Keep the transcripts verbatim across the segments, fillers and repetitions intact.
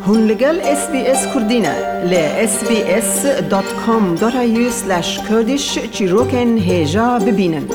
Hûn li gel S B S Kurdî ne. Li S B S dot com dot A U slash Kurdish çîrokên hêja bibînin.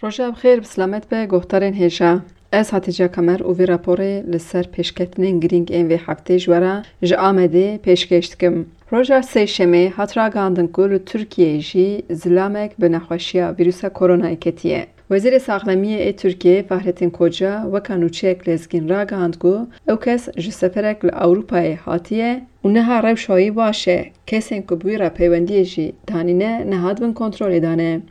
Roja bi xêr, bi silamet be, guhdarên hêja. Ez Hatice Kamer û vê raporê li ser pêşketinên girîng ên vê heftê ji we re ji Amedê pêşkêş dikim. Roja Sêşemê hat ragihandin ku li Tirkiyeyê jî zilamek bi nexweşiya vîrusa koronayê ketiye. Wezîrê Saxlemiyê ê Tirkiyeyê Fahrettin Koca weka nûçeyek lezgîn ragihand ku ew kes ji seferek li Ewropayê hatiye û niha rewşa wî baş e, kesên ku bi wî re peywendiyê jî danîne nehat bin kontrolê dane.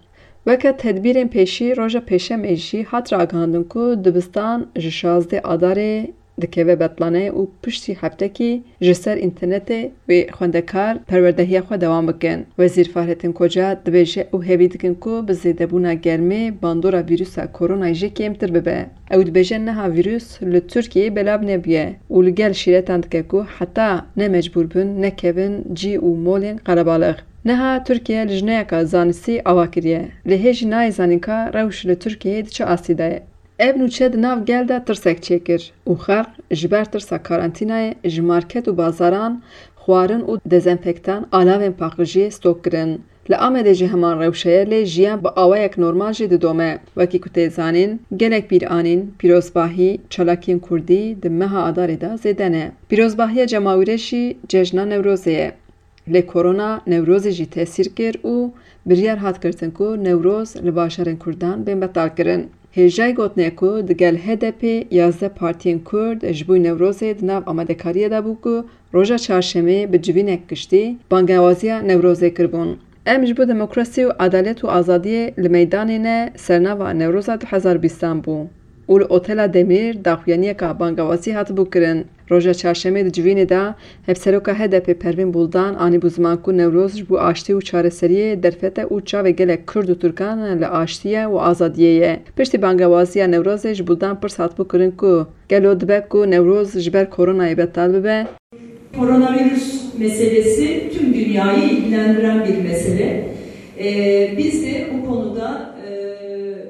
Weke tedbîrên pêşî, roja Pêşemê jî hat ragihandin ku dibistan ji şazdeh Adarê dikeve betlaneyê û piştî heftekî ji ser înternetê wê xwendekar perwerdehiya xwe dewam bikin. Wezîr Fahrettin Koca dibêje, ew hêvî dikin ku bi zêdebûna germê bandora vîrusa koronayê jî kêmtir bibe. Ew dibêje, niha vîrus li Tirkiyeyê belav nebûye û li gel şîretan dike ku heta ne mecbûr bin nekevin cî û molên qelebalix. Niha Tirkiye lijneyeka zanistî ava kiriye. Lê hê jî nayê zanîn ka rewş li Tirkiyeyê di çi astî de ye. Ev nûçe di nav gel de tirsek çêkir û xelk ji ber tirsa karantînayê ji market û bazaran xwarin û dezenfektan, alavên paqijiyê stok kirin. Li Amedê jî heman rewşe ye, lê jiyan bi awayek normal jî didome. Wekî ku tê zanîn, gelek bîr anîn, pîrozbahî, çalakiyên kurdî di meha Adarê de zêde ne. Pîrozbahiya cemawîre jî cejna Newrozê ye. Lê korona Newrozê jî tesîr kir û biryar hat girtin ku Newroz li bajarên Kurdan bên betalkirin. Hêjayî gotinê ku digel H D P yazdeh partiyên Kurd ji bo Newrozê di nav amadekariyê de bû ku roja çarşemê bi civînek giştî bangewaziya Newrozê kiribûn. Em ji bo demokrasî û edalet û azadiyê li meydanê ne sernava Newroza du hezar bîstan bû û li Otela Demîr daxuyaniyeka bangewazî hatibû kirin. Roja çarşemê di civînê de Hevseroka H D P Pervîn Buldan anîbû ziman ku Newroz ji bo aştî û çareseriyê derfet e û çavê gelek Kurd û Tirkan li aştiyê û azadiyê ye. Piştî bangewaziya Newrozê ji Buldan pirs hatibû kirin ku gelo dibe ku Newroz ji ber koronayê betal bibe? Koronavirüs meselesi tüm dünyayı ilgilendiren bir mesele. Ee, biz de bu konuda, e,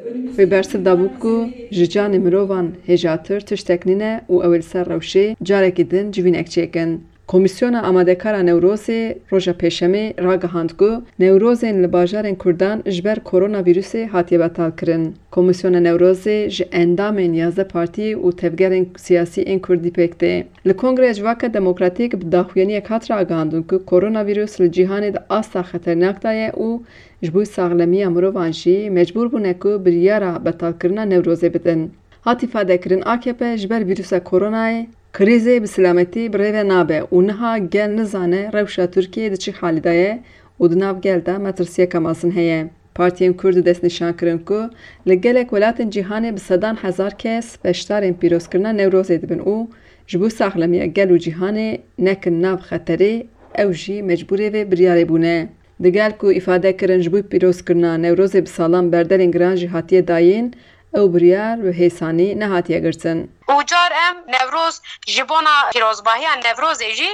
önümüzdeki Wê bersiv dabû ku ji canê mirovan hêjatir tiştek nîne û ew ê li ser rewşê carekî din civînek çêkin. Komîsyona Amadekara Newrozê roja Pêşemê ragihand ku Newrozên li bajarên Kurdan ji ber koronavîrusê hatiye betalkirin. Komîsyona Newrozê ji endamên yazdeh partî û tevgerên siyasî ên Kurdî pêk tê. Li Kongreya Civaka Demokratîk bi daxuyaniyek hat ragihandin ku koronavîrus li cîhanê di asta xeternak de ye û ji bo saxlemiya mirovan jî mecbûr bûne ku biryara betalkirina Newrozê bidin. Hat îfadekirin, A K P ji ber vîrusa koronayê krîzê bi silametî bi rê ve nabe û niha gel nizane rewşa Tirkiyeyê di çi halî de ye û di nav gel de metirsiyeke mezin heye. Partiyên Kurd destnîşan kirin ku li gelek welatên cîhanê bi sedan hezar kes beşdarên pîrozkirina Newrozê dibin û ji bo saxlemiya gel û cîhanê nekin nav xeterê, ew jî mecbûrê vê biryarê bûne. Digel ku îfade kirin ji bo pîrozkirina Newrozê bi salan berdelên giran jî hatiye dayîn, ew biryar bi hêsanî nehatiye girtin. Û car em Newroz ji bona pîrozbahiya Newrozê jî,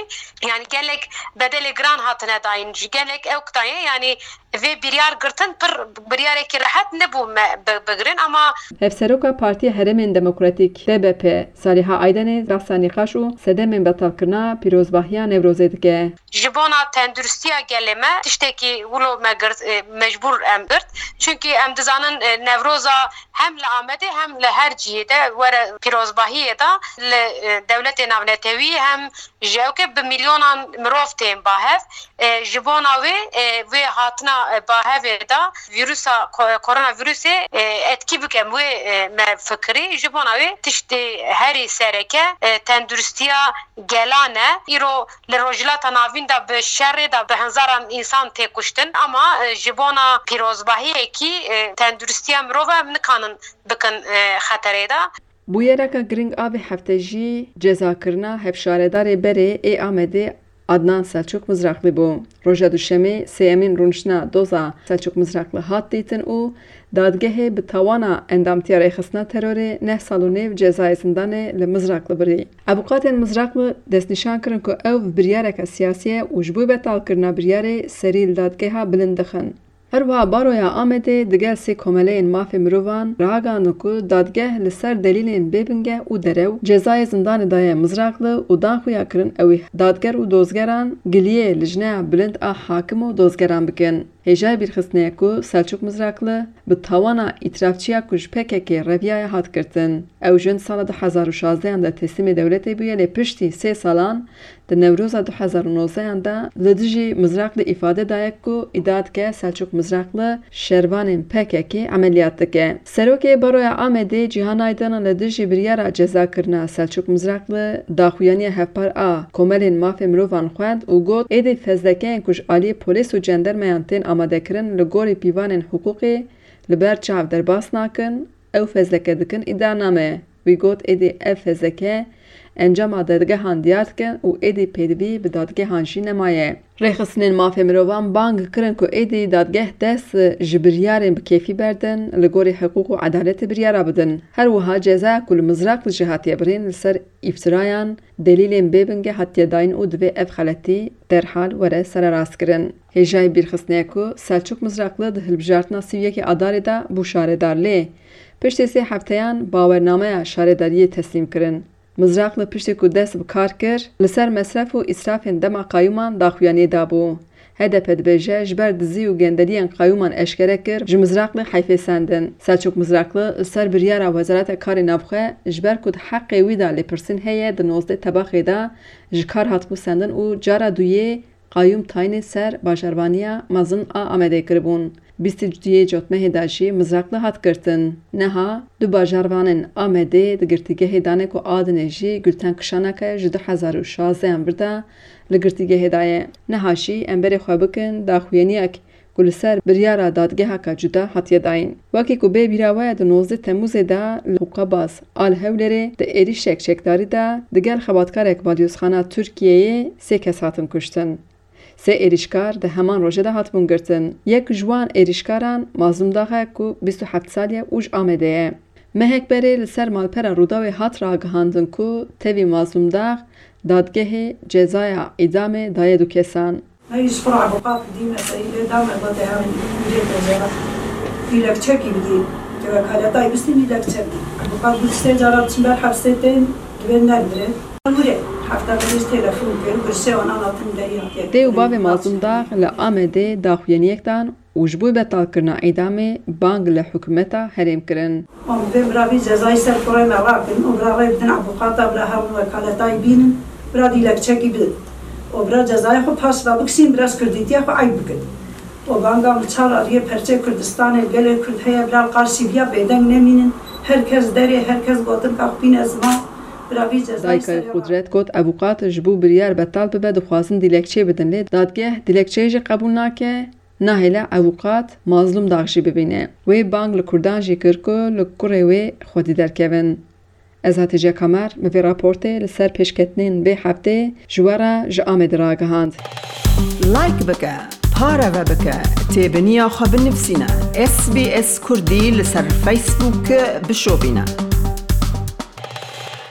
yanî gelek bedelê giran hatine dayîn, ji gelek ew kitaye, yanî vê biryar girtin pir biryarekî rehet nebû me bi-, bigirin, ama Hevseroka Partiya Herêmên Demokratîk, D B P, Saliha Aydenê behsa nîqaş û sedemên betalkirina pîrozbahiya Newrozê dike. Ji bona tenduristiya gelê me tiştekî wilo me girt, e, mecbûr em girt. Çunkî em dizanin, e, Newroza hem li Amedê hem li her cihê de were pîrozbahiyê de li, e, dewletê navnetewî hem ji ewke bi milyonan mirov tên bahev. E, ji bona wê, e, wê hatina, e, bahevê de vîrusa ko-, koronavîrusê, e, etkî bikem wê, e, me fikirî. Ji bona wê tiştê herî sereke, e, tenduristiya gelan e. Îro li Rojhilata Navîn de bi şerê de bi hezaran însan tê kuştin, ama, e, ji bona pîrozbahiyekî, e, tenduristiya mirov e, em nikanin bikin, e, xeterê de. Bûyereke giring a vê hefte jî cezakirina hevşaredarê berê ê Amedê Adnan Selçuk Mizrakli bû. Roja Duşemê sêyemîn rûniştina doza Selçuk Mizrakli hat dîtin û dadgehê bi tawana endamtiya rêxistina terorê neh sal û nêv cezayê zindanê li Mizrakli birî. Avûkatên Mizrakli destnîşan kirin ku ew bi biryareke siyasî ye û ji bo betalkirina biryarê serî li dadgeha bilind dixin. Her wiha Baroya Amedê digel sê komeleyên mafê mirovan ragandin ku dadgeh li ser delîlên bêbingeh û derew cezayê zindanê daye Mizraqli û dan xuya kirin ew ê dadger û dozgeran giliyê Lijneya Bilind a Hakim û dozgeran bikin. Hêjayê bîrxistinê ye ku Selçûk Mizraqli bi tawana îtirafçiya ku ji P K K reviyaye hat girtin. Ew jin sala du hezar û şazdehan de teslîmê dewletê bûye, lê piştî sê salan di Newroza du hezar û nozdehan de li dijî Mizraqli îfade daye ku îdia dike Selçûk Mizraqli şervanên P K K emeliyat dike. Serokê Baroya Amedê Cîhan Aydin li dijî biryara cezakirina Selçûk Mizraqli daxuyaniya hevpar a komelên mafê mirovan xwend û got, êdî fezlekeyên ku ji aliyê polîs û cendermeyan tên amadekirin li gorî pîvanên hiqûqî li ber çav derbas nakin, ew fezleke dikin îdianame. Wî got, êdî ev fezleke encama dadgehan diyar dikin û êdî pêdivî bi dadgehan jî nemaye. Rêxistinên mafê mirovan bang kirin ku êdî dadgeh dest ji biryarên bi kêfî berdin, li gorî hiqûq û edaletê biryara bidin. Her wiha cezaya ku li Mizraqli jî hatiye birîn li ser îftirayan, delîlên bêbingeh hatiye dayîn û divê ev xeletî derhal were sererastkirin. Hêjayê bîrxistinê ye ku Selçûk Mizraqli di hilbijartina sî û yekê Adarê de bû şaredar, lê piştî sê hefteyan bawernameya şaredariyê teslîm kirin. Mizraqli piştî ku dest bi kar kir, li ser mesref û îsrafên dema qayûman daxuyaniyê dabû. H D P dibêje, ji ber dizî û gendeliyên qayûman eşkere kir, ji Mizraqli heyfê sendin. Selçûk Mizraqli li ser biryara Wezareta Karê Navxwe, ji ber ku di heqê wî de lêpirsîn heye, di nozdeh Tebaxê de ji kar hatibû sendin û cara duyê qayûm tayînê ser bajarvaniya mezin a Amedê kiribûn. Bîst û duyê Cotmehê de jî Mizraqli hat girtin. Niha du bajarvanên Amedê di girtîgehê dane ku adinê jî Gulten Kişaneke ji du hezar û şazdehan vir de li girtîgehê de ye. Niha jî em berê xwe bikin daxuyaniyek ku li ser biryara dadgeheke cuda hatiye dayîn. Wekî ku bê bîra we ye, di nozdeh Temmûzê de li Qûqabaz a li Hewlêrê di êrişek çekdarî de digel xebatkarek balyozxana Tirkiyeyê sê kes hatin kuştin. Sê êrişkar di heman rojê de hatibûn girtin. Yek ji wan êrişkaran Mazlûm Dax e ku bîst û heft salî ye û ji Amedê ye. Mehek berê li ser malpera Rûdawê hat ragihandin ku tevî Mazlûm Dax dadgehê cezaya îdamê daye du kesan. Hey, ji xwe re ebuqat dî meselî lê dame gote herin bûrê tecera. Dilekçekî bidî. Ke wekaleta bistî dilekçekî. Ebuqat bû sê cara biçin ber hefsê tên, divê nermirê. Wire, hefta pênc telefon kir, girsê wana hatin derî hatiye. Dê û bavê Mazlûm Dax li Amedê daxuyaniyek dan û ji bo betalkirina îdamê bang li hikûmeta herêm kirin. Wan bi vê miravî cezayê ser kurê me rakin û bira rê bidin ebuqata bira herin wekaleta wî bînin, bira dilekçekî bidin û bira cezayê xwe paş ve bikişîn, bira ji kurdîtiya xwe eyb bikin. Û banga min çar aliyê perçê Kurdistanê, gelê Kurd heye, bira li qarşî viya bêdeng nemînin. Her kes derê, her kes gotin ka xwe bîne ziman, bira vî cezayê Dayka serê Qudret got, evuqat ji bo biryar betal bibe, dixwazin dilekçeyê bidin, lê dadgeh dilekçeyê jî qebûl nake, nahêle evuqat Mazlûm Dax jî bibîne. Wê bang li Kurdan jî kir ku li kurê wê xwedî derkevin. Ez Hatice Kamer, min vê raportê li ser pêşketinên vê heftê ji we re ji Amedê ragihand. Like bike, pareve bike, têbiniya xwe binivîsîne. S B S Kurdî li ser Facebook bişopîne.